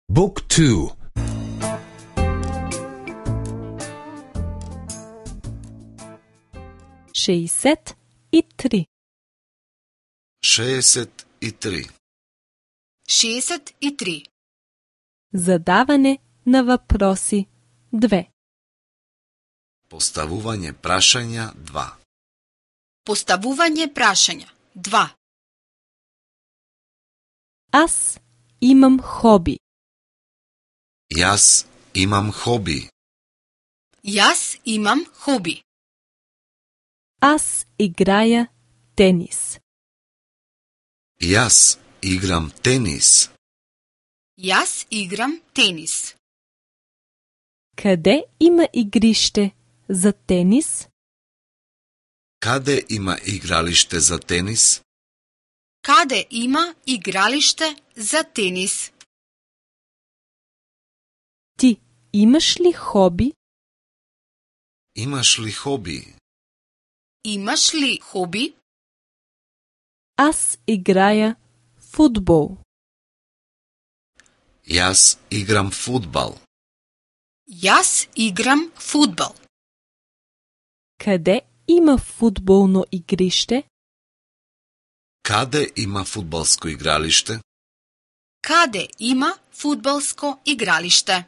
Book 2. 63. 63. 63. Задаване на въпроси 2. Поставување прашања 2. Поставување прашања 2. Аз имам хоби. Јас имам хоби. Јас имам хоби. Аз играя тенис. Јас играм тенис. Јас играм тенис. Къде има игрище за тенис? Каде има игралиште за тенис? Каде има игралиште за тенис? Ти имаш ли хоби? Имаш ли хоби? Имаш ли хоби? Аз играя фудбал. Јас играм фудбал. Јас играм фудбал. Къде има фудбално игрище? Каде има фудбалско игралиште? Каде има фудбалско игралиште?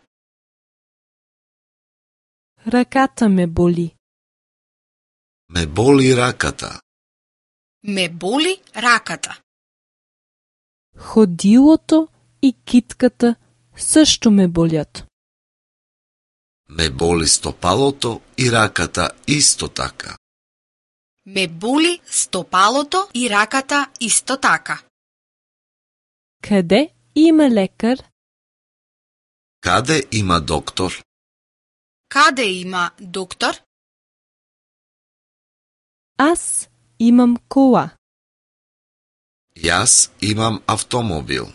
Ръката ме боли. Ме боли раката. Ме боли раката. Ходилото и китката също ме болят. Ме боли стопалото и раката исто така. Ме боли стопалото и раката исто така. Къде има лекар? Каде има доктор? Каде има доктор? Аз имам кола. Јас имам автомобил.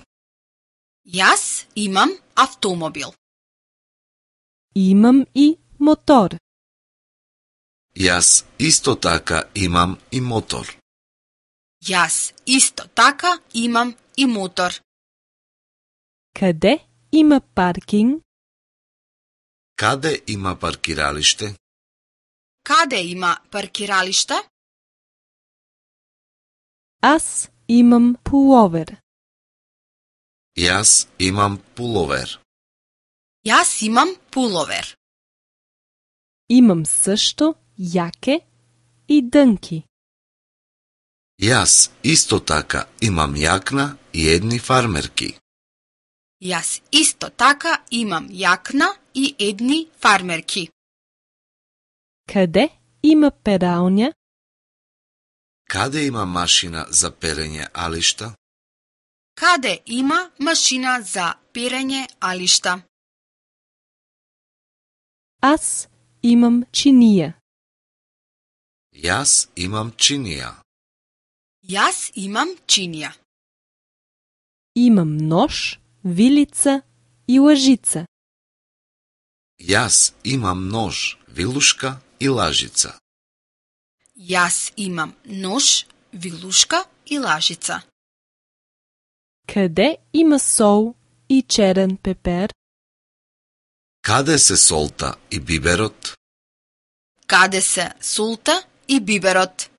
Јас имам автомобил. Имам и мотор. Јас исто така имам и мотор. Јас исто така имам и мотор. Къде има паркинг? Каде има паркиралиште? Каде има паркиралиште? Аз имам пуловер. Јас имам пуловер. Јас имам пуловер. Имам също яке и дънки. Јас исто така имам јакна и едни фармерки. Јас исто така имам јакна и едни фармерки. Къде има пералня? Каде има машина за перење алишта? Каде има машина за перење алишта? Аз имам чиния. Јас имам чинија. Јас имам чинија. Имам нож, вилица и лъжица. Јас имам нож, вилушка и лажица. Јас имам нож, вилушка и лажица. Къде има сол и черен пепер? Каде се солта и биберот? Каде се солта и биберот?